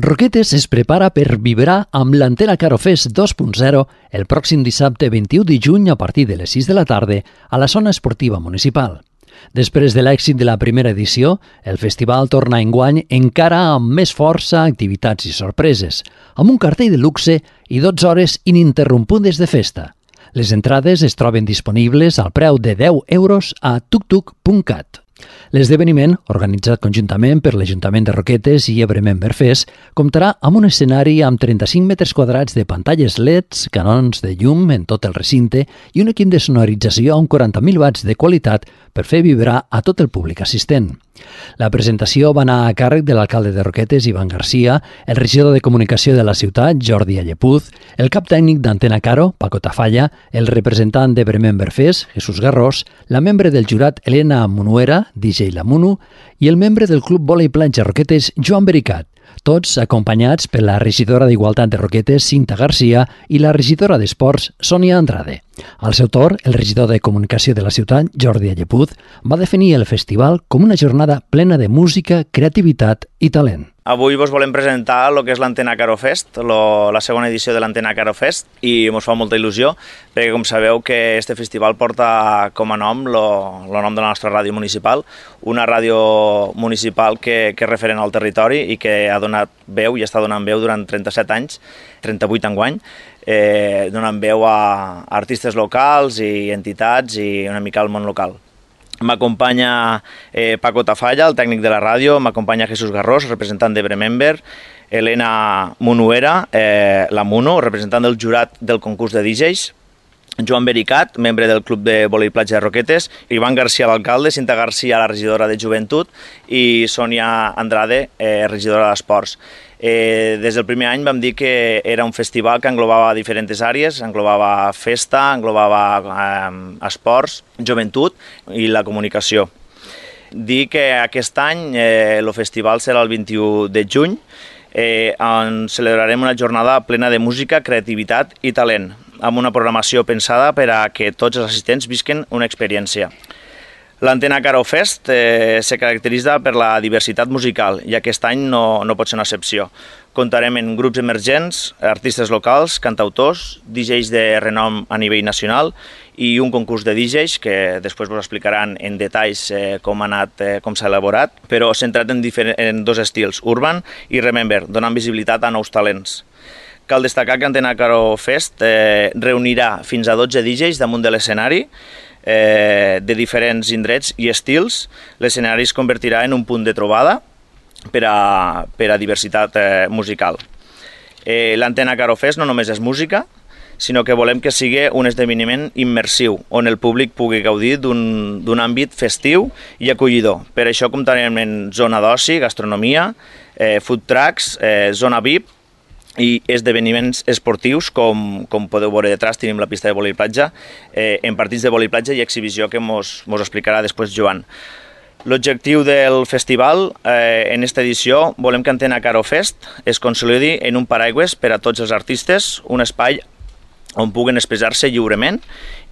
Roquetes es prepara per vibrar amb l'Antena Caro Fest 2.0 el pròxim dissabte 21 de juny a partir de les 6 de la tarda a la zona esportiva municipal. Després de l'èxit de la primera edició, el festival torna enguany encara amb més força, activitats i sorpreses, amb un cartell de luxe i 12 hores ininterrompudes de festa. Les entrades es troben disponibles al preu de 10 euros a tuktuk.cat. L'esdeveniment, organitzat conjuntament per l'Ajuntament de Roquetes i Ebre Member Fest, comptarà amb un escenari amb 35 metres quadrats de pantalles LEDs, canons de llum en tot el recinte i un equip de sonorització amb 40.000 watts de qualitat per fer vibrar a tot el públic assistent. La presentació va anar a càrrec de l'alcalde de Roquetes, Ivan Garcia, el regidor de comunicació de la ciutat, Jordi Allepuz, el cap tècnic d'Antena Caro, Paco Tafalla, el representant d'Ebre Member Fest, Jesús Garrós, la membre del jurat, Elena Munuera, DJ La Munu, i el membre del Club Vòlei Platja Roquetes, Joan Bericat, tots acompanyats per la regidora d'Igualtat de Roquetes, Cinta Garcia, i la regidora d'Esports, Sònia Andrade. Al seu torn, el regidor de comunicació de la ciutat, Jordi Allepuz, va definir el festival com una jornada plena de música, creativitat i talent. Avui vos volem presentar el que és l'Antena Caro Fest, la segona edició de l'Antena Caro Fest, i ens fa molta il·lusió, perquè com sabeu que este festival porta com a nom el nom de la nostra ràdio municipal, una ràdio municipal que és referent al territori i que ha donat veu i està donant veu durant 37 anys, 38 enguany, donant veu a artistes locals i entitats i una mica al món local. M'acompanya Paco Tafalla, el tècnic de la ràdio, m'acompanya Jesús Garrós, representant d'Ebre Member, Elena Munuera, la Munu, representant del jurat del concurs de DJs, Joan Bericat, membre del Club de Vòlei Platja de Roquetes, Ivan Garcia, l'alcalde, Cinta Garcia, la regidora de Joventut, i Sònia Andrade, regidora d'Esports. Des del primer any vam dir que era un festival que englobava diferents àrees, englobava festa, englobava esports, joventut i la comunicació. Dir que aquest any el festival serà el 21 de juny, on celebrarem una jornada plena de música, creativitat i talent, amb una programació pensada per a que tots els assistents visquen una experiència. L'Antena Caro Fest se caracteritza per la diversitat musical i aquest any no pot ser una excepció. Comptarem en grups emergents, artistes locals, cantautors, DJs de renom a nivell nacional i un concurs de DJs que després vos explicaran en detalls com s'ha elaborat, però centrat en dos estils, Urban i Remember, donant visibilitat a nous talents. Cal destacar que Antena Caro Fest reunirà fins a 12 DJs damunt de l'escenari, de diferents indrets i estils. L'escenari es convertirà en un punt de trobada per a diversitat musical. L'Antena Caro Fest no només és música, sinó que volem que sigui un esdeveniment immersiu, on el públic pugui gaudir d'un àmbit festiu i acollidor. Per això comptarem en zona d'oci, gastronomia, food trucks, zona VIP, i esdeveniments esportius, com podeu veure detrás, tenim la pista de vòlei platja, en partits de vòlei platja i exhibició que mos explicarà després Joan. L'objectiu del festival, en aquesta edició, volem que Antena Caro Fest es consolidi en un paraigües per a tots els artistes, un espai on puguen expressar-se lliurement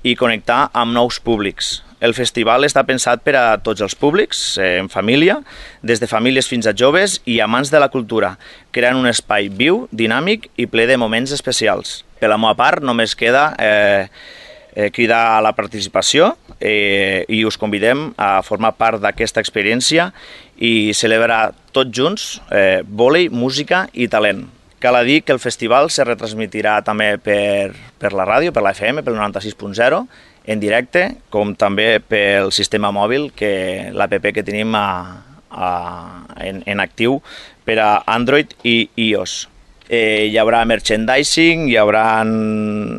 i connectar amb nous públics. El festival està pensat per a tots els públics, en família, des de famílies fins a joves i amants de la cultura, creant un espai viu, dinàmic i ple de moments especials. Per la meva part, només queda cridar a la participació i us convidem a formar part d'aquesta experiència i celebrar tots junts vòlei, música i talent. Cal dir que el festival se retransmitirà també per la ràdio, per la FM, pel 96.0, en directe, com també pel sistema mòbil, l'app que tenim en actiu per a Android i iOS. Hi haurà merchandising, hi haurà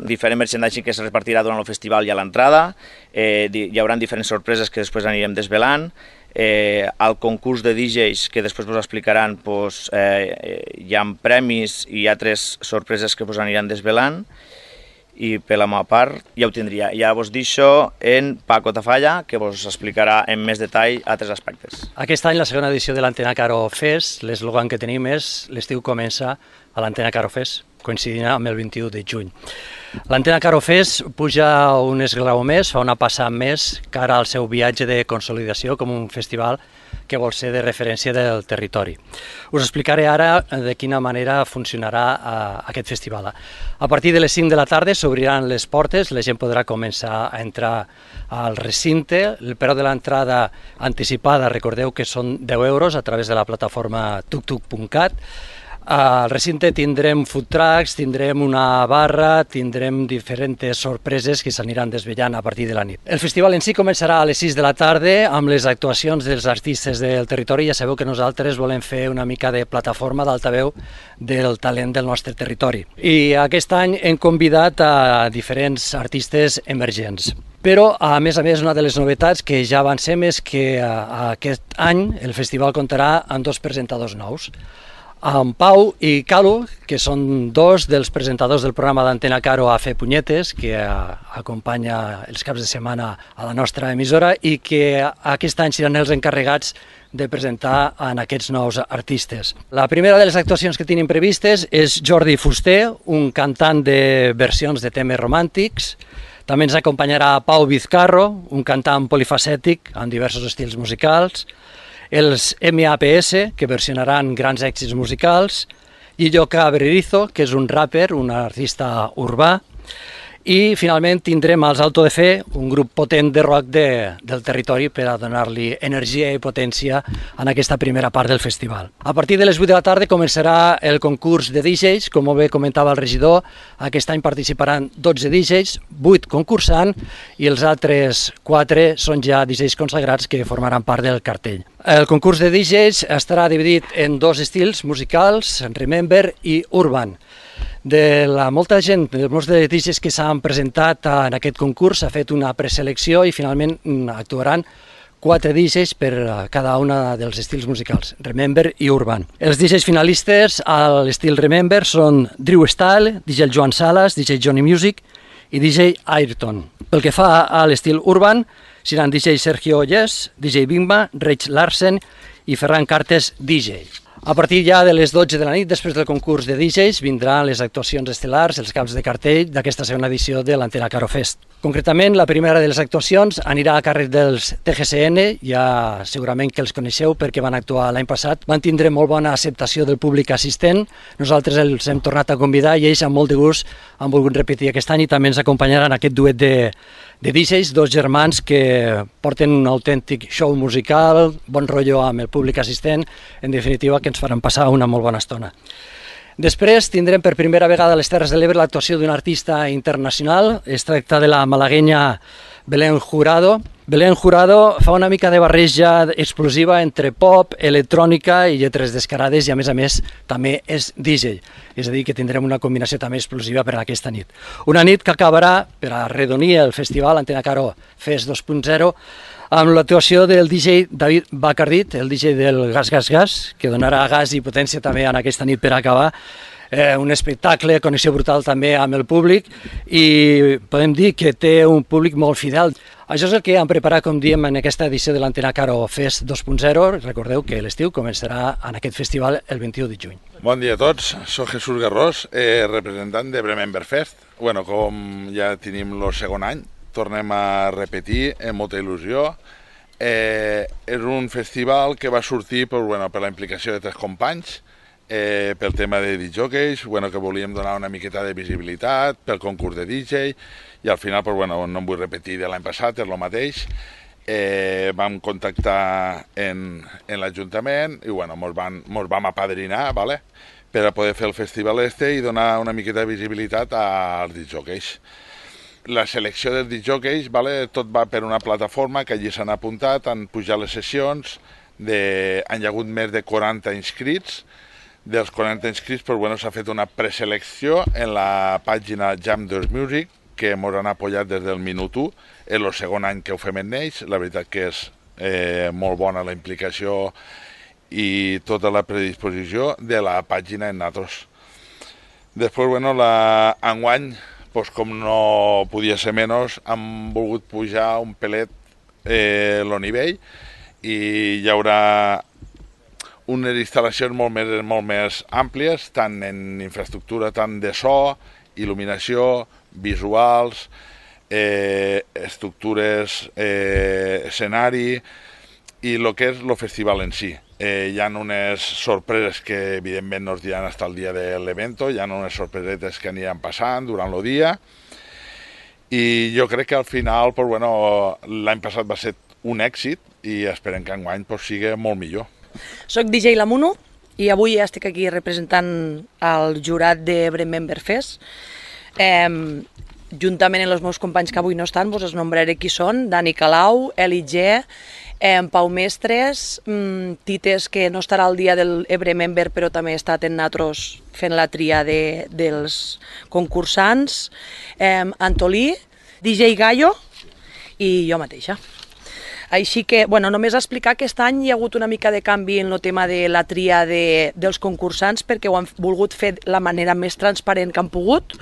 diferent merchandising que es repartirà durant el festival i a l'entrada, hi haurà diferents sorpreses que després anirem desvelant, al concurs de DJs que després vos explicaran hi ha premis i altres sorpreses que vos aniran desvelant. I per la meva part ja ho tindria. Ja vos deixo en Paco Tafalla, que vos explicarà en més detall altres aspectes. Aquest any, la segona edició de l'Antena Caro Fest, l'eslògan que tenim és l'estiu comença a l'Antena Caro Fest. coincidint amb el 21 de juny. L'Antena Caro Fest puja un esglaó més, fa una passada més cara al seu viatge de consolidació com un festival que vol ser de referència del territori. Us explicaré ara de quina manera funcionarà aquest festival. A partir de les 5 de la tarda s'obriran les portes, la gent podrà començar a entrar al recinte. El preu de l'entrada anticipada, recordeu que són 10 euros a través de la plataforma tuktuk.cat. Al recinte tindrem food trucks, tindrem una barra, tindrem diferents sorpreses que s'aniran desvetllant a partir de la nit. El festival en si començarà a les 6 de la tarda amb les actuacions dels artistes del territori. Ja sabeu que nosaltres volem fer una mica de plataforma d'altaveu del talent del nostre territori. I aquest any hem convidat a diferents artistes emergents. Però, a més, una de les novetats que ja avancem és que aquest any el festival comptarà amb 2 presentadors nous. En Pau i Calu, que són 2 dels presentadors del programa d'Antena Caro a Fer Punyetes, que acompanya els caps de setmana a la nostra emissora i que aquest any seran els encarregats de presentar en aquests nous artistes. La primera de les actuacions que tenim previstes és Jordi Fuster, un cantant de versions de temes romàntics. També ens acompanyarà Pau Vizcarro, un cantant polifacètic amb diversos estils musicals, els MAPS, que versionaran grans èxits musicals, Illoka Bererizo, que és un rapper, un artista urbà, i finalment tindrem els Alto de Fe, un grup potent de rock del territori per a donar-li energia i potència en aquesta primera part del festival. A partir de les 8 de la tarda començarà el concurs de DJs, com molt bé comentava el regidor. Aquest any participaran 12 DJs, 8 concursant i els altres 4 són ja DJs consagrats que formaran part del cartell. El concurs de DJs estarà dividit en 2 estils musicals, Remember i Urban. De molta gent, de molts de DJs que s'han presentat en aquest concurs, s'ha fet una preselecció i finalment actuaran 4 DJs per cada una dels estils musicals, Remember i Urban. Els DJs finalistes a l'estil Remember són Drew Style, DJ Joan Salas, DJ Johnny Music i DJ Ayrton. Pel que fa a l'estil Urban, seran DJ Sergio Yes, DJ Bimba, Reig Larsen i Ferran Cartes, DJ. A partir ja de les 12 de la nit, després del concurs de DJs, vindran les actuacions estel·lars, els caps de cartell d'aquesta segona edició de l'Antena Caro Fest. Concretament, la primera de les actuacions anirà a càrrec dels TGCN, ja segurament que els coneixeu perquè van actuar l'any passat. Van tindre molt bona acceptació del públic assistent, nosaltres els hem tornat a convidar i ells amb molt de gust han volgut repetir aquest any i també ens acompanyaran aquest duet de DJs, 2 germans que porten un autèntic show musical, bon rotllo amb el públic assistent, en definitiva que ens faran passar una molt bona estona. Després tindrem per primera vegada a les Terres de l'Ebre l'actuació d'un artista internacional. Es tracta de la malaguenya Belén Jurado. Belén Jurado fa una mica de barreja explosiva entre pop, electrònica i lletres descarades i a més també és DJ. És a dir, que tindrem una combinació també explosiva per a aquesta nit. Una nit que acabarà, per arredonir el festival Antena Caro Fest 2.0, amb l'actuació del DJ David Bacardit, el DJ del Gas Gas Gas, que donarà gas i potència també en aquesta nit per acabar. Un espectacle, connexió brutal també amb el públic i podem dir que té un públic molt fidel. Això és el que hem preparat, com diem, en aquesta edició de l'Antena Caro Fest 2.0. Recordeu que l'estiu començarà en aquest festival el 21 de juny. Bon dia a tots, soc Jesús Garrós, representant de Remember Fest. Com ja tenim el segon any, tornem a repetir amb molta il·lusió. És un festival que va sortir per la implicació de 3 companys, pel tema de DJs, que volíem donar una miqueta de visibilitat, pel concurs de DJ, i al final, no em vull repetir de l'any passat, és el mateix. Vam contactar en l'Ajuntament i ens vam apadrinar per a poder fer el festival i donar una miqueta de visibilitat als DJs. La selecció dels DJs, tot va per una plataforma que allí s'han apuntat, han pujat les sessions, han hi hagut més de 40 inscrits. Dels 40 inscrits s'ha fet una preselecció en la pàgina Jam 2 Music, que ens han apoyat des del minut 1, és el segon any que ho fem en ells, la veritat que és molt bona la implicació i tota la predisposició de la pàgina en nosaltres. Després, enguany, com no podia ser menys, hem volgut pujar un pelet el nivell i hi haurà unes instal·lacions molt més àmplies, tant en infraestructura, tant de so, il·luminació, visuals, estructures, escenari i el que és el festival en si. Hi ha unes sorpreses que evidentment no es diran fins al dia de l'evento, hi ha unes sorpresetes que aniran passant durant el dia i jo crec que al final l'any passat va ser un èxit i esperem que enguany sigui molt millor. Soc DJ Lamuno i avui estic aquí representant el jurat de Bremember Fest. Juntament amb els meus companys que avui no estan, vos els nombraré qui són: Dani Calau, Eli G, Pau Mestres, Tites, que no estarà al dia del Bremember però també ha estat en Natros fent la tria dels concursants, Antolí, DJ Gallo i jo mateixa. Així que, només explicar que aquest any hi ha hagut una mica de canvi en el tema de la tria dels concursants perquè ho han volgut fer de la manera més transparent que han pogut.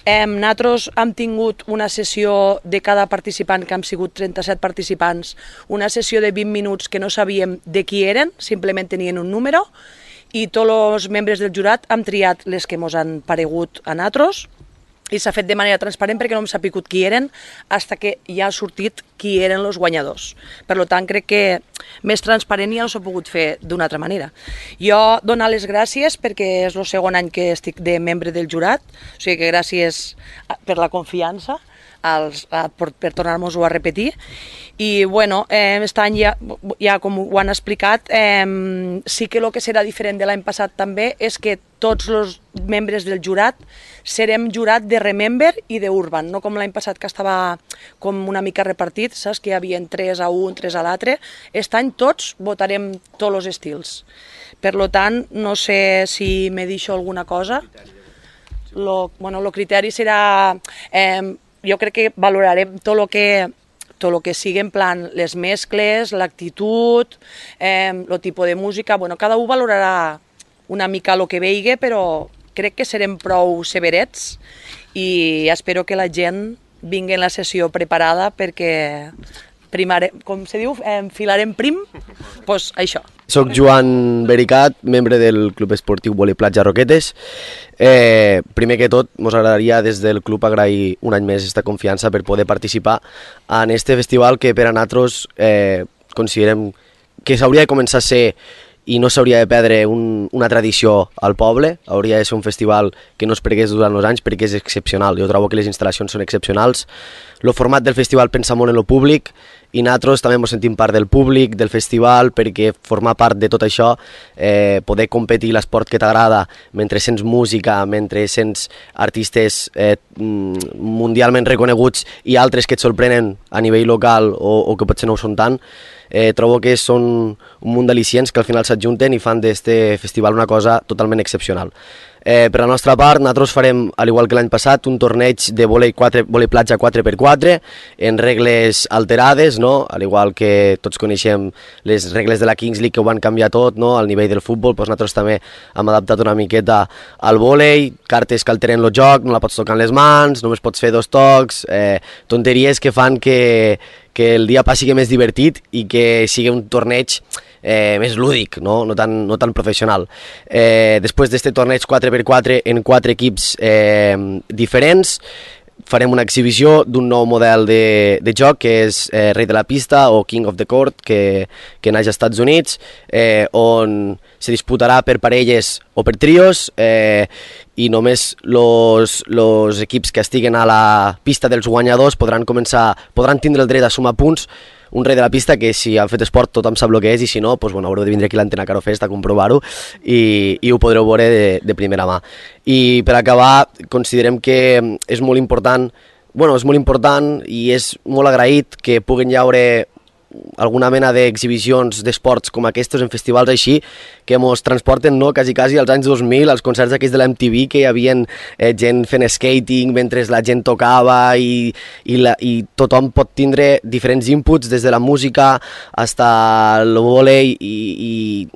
Nosaltres hem tingut una sessió de cada participant, que hem sigut 37 participants, una sessió de 20 minuts que no sabíem de qui eren, simplement tenien un número, i tots els membres del jurat hem triat les que ens han paregut a nosaltres, i s'ha fet de manera transparent perquè no hem sabut qui eren fins que ja ha sortit qui eren els guanyadors. Per tant, crec que més transparent ja no s'ha pogut fer d'una altra manera. Jo donar les gràcies perquè és el segon any que estic de membre del jurat, o sigui que gràcies per la confiança, per tornar-nos-ho a repetir. I aquest any ja com ho han explicat, sí que el que serà diferent de l'any passat també és que tots els membres del jurat serem jurat de Remember i d'Urban, no com l'any passat que estava com una mica repartit, saps que hi havia 3 a un, 3 a l'altre. Aquest any tots votarem tots els estils. Per tant, no sé si me deixo alguna cosa. El criteri serà... Jo crec que valorarem tot el que sigui en plan les mescles, l'actitud, el tipus de música. Cada un valorarà una mica el que vegi, però crec que serem prou severets i espero que la gent vingui en la sessió preparada perquè com se diu, enfilarem prim, doncs això. Soc Joan Bericat, membre del Club Esportiu Vòlei Platja Roquetes. Primer que tot, ens agradaria des del club agrair un any més aquesta confiança per poder participar en este festival que per a nosaltres considerem que s'hauria de començar a ser i no s'hauria de perdre una tradició al poble. Hauria de ser un festival que no es pergués durant els anys perquè és excepcional. Jo trobo que les instal·lacions són excepcionals. El format del festival pensa molt en el públic i nosaltres també ens sentim part del públic, del festival, perquè formar part de tot això, poder competir l'esport que t'agrada mentre sents música, mentre sents artistes mundialment reconeguts i altres que et sorprenen a nivell local o que potser no ho són tant, trobo que són un munt d'al·licients que al final s'adjunten i fan d'este festival una cosa totalment excepcional. Per la nostra part, nosaltres farem, al igual que l'any passat, un torneig de vòlei platja 4x4 en regles alterades, no? Al igual que tots coneixem les regles de la Kings League que ho van canviar tot, no? Al nivell del futbol, doncs nosaltres també hem adaptat una miqueta al vòlei, cartes que alteren el joc, no la pots tocar amb les mans, només pots fer 2 tocs, tonteries que fan que el dia passi més divertit i que sigui un torneig més lúdic, no tan professional. Després d'aquest torneig 4x4 en 4 equips diferents, farem una exhibició d'un nou model de joc que és Rei de la Pista o King of the Court, que naix als Estats Units, on se disputarà per parelles o per trios i només els equips que estiguen a la pista dels guanyadors podran tindre el dret a sumar punts. Un rei de la pista que si han fet esport tothom sap el que és i si no, haureu de vindre aquí a l'Antena Caro Fest a comprovar-ho i ho podreu veure de primera mà. I per acabar, considerem que és molt important i és molt agraït que puguen llaure alguna mena d'exhibicions d'esports com aquests en festivals així que ens transporten quasi als anys 2000, als concerts aquells de la MTV que hi havia gent fent skating mentre la gent tocava i tothom pot tindre diferents inputs des de la música fins al vòlei i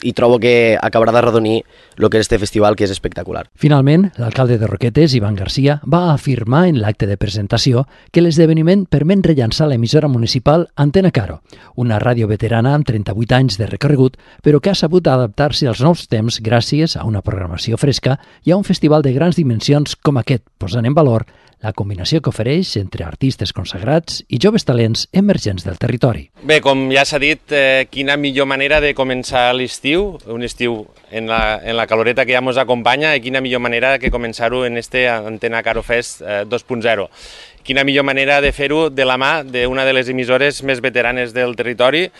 i trobo que acabarà de redonir el que és este festival, que és espectacular. Finalment, l'alcalde de Roquetes, Ivan Garcia, va afirmar en l'acte de presentació que l'esdeveniment permet rellançar l'emissora municipal Antena Caro, una ràdio veterana amb 38 anys de recorregut, però que ha sabut adaptar-se als nous temps gràcies a una programació fresca i a un festival de grans dimensions com aquest, posant en valor la combinació que ofereix entre artistes consagrats i joves talents emergents del territori. Bé, com ja s'ha dit, quina millor manera de començar l'estiu, un estiu en la caloreta que ja ens acompanya, i quina millor manera que començar-ho en este Antena Caro Fest 2.0. Quina millor manera de fer-ho de la mà d'una de les emissores més veteranes del territori,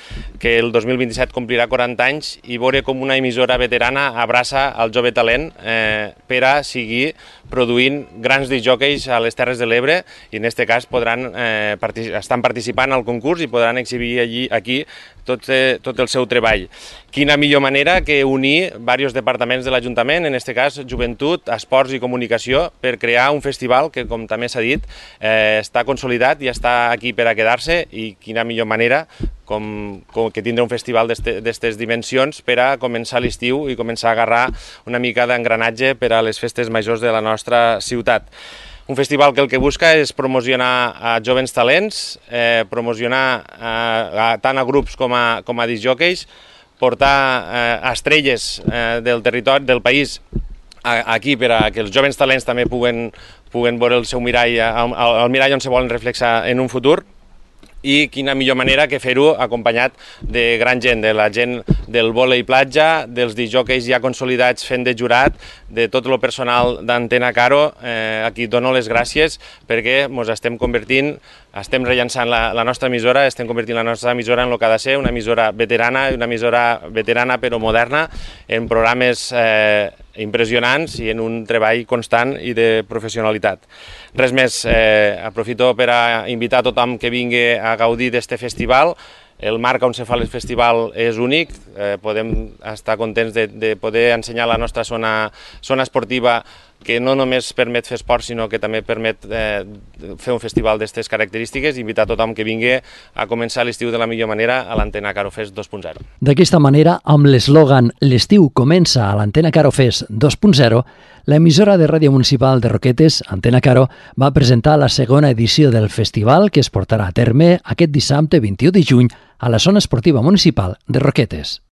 que el 2027 complirà 40 anys, i veure com una emissora veterana abraça el jove talent per a seguir produint grans discjòqueis a les Terres de l'Ebre, i en aquest cas estan participant al concurs i podran exhibir aquí tot el seu treball. Quina millor manera que unir diversos departaments de l'Ajuntament, en aquest cas Joventut, Esports i Comunicació, per crear un festival que, com també s'ha dit, està consolidat i està aquí per a quedar-se, i quina millor manera que tindre un festival d'aquestes dimensions per a començar l'estiu i començar a agarrar una mica d'engranatge per a les festes majors de la nostra ciutat. Un festival que el que busca és promocionar a jovens talents, promocionar tant a grups com a discjòqueis, portar estrelles del territori, del país, aquí per a que els jovens talents també puguen veure el seu mirall, el mirall on se volen reflexar en un futur. I quina millor manera que fer-ho acompanyat de gran gent, de la gent del vòlei platja, dels discjòqueis ja consolidats fent de jurat, de tot el personal d'Antena Caro. Aquí dono les gràcies perquè ens estem convertint, estem rellançant la nostra emissora, estem convertint la nostra emissora en el que ha de ser, una emissora veterana, però moderna, en programes impressionants i en un treball constant i de professionalitat. Res més, aprofito per a invitar a tothom que vingui a gaudir d'este festival. El marc on se fa el festival és únic, podem estar contents de poder ensenyar la nostra zona esportiva, que no només permet fer esport, sinó que també permet fer un festival d'aquestes característiques, i invitar a tothom que vingui a començar l'estiu de la millor manera a l'Antena Caro Fest 2.0. D'aquesta manera, amb l'eslògan «L'estiu comença a l'Antena Caro Fest 2.0», l'emissora de ràdio municipal de Roquetes, Antena Caro, va presentar la segona edició del festival, que es portarà a terme aquest dissabte 21 de juny a la zona esportiva municipal de Roquetes.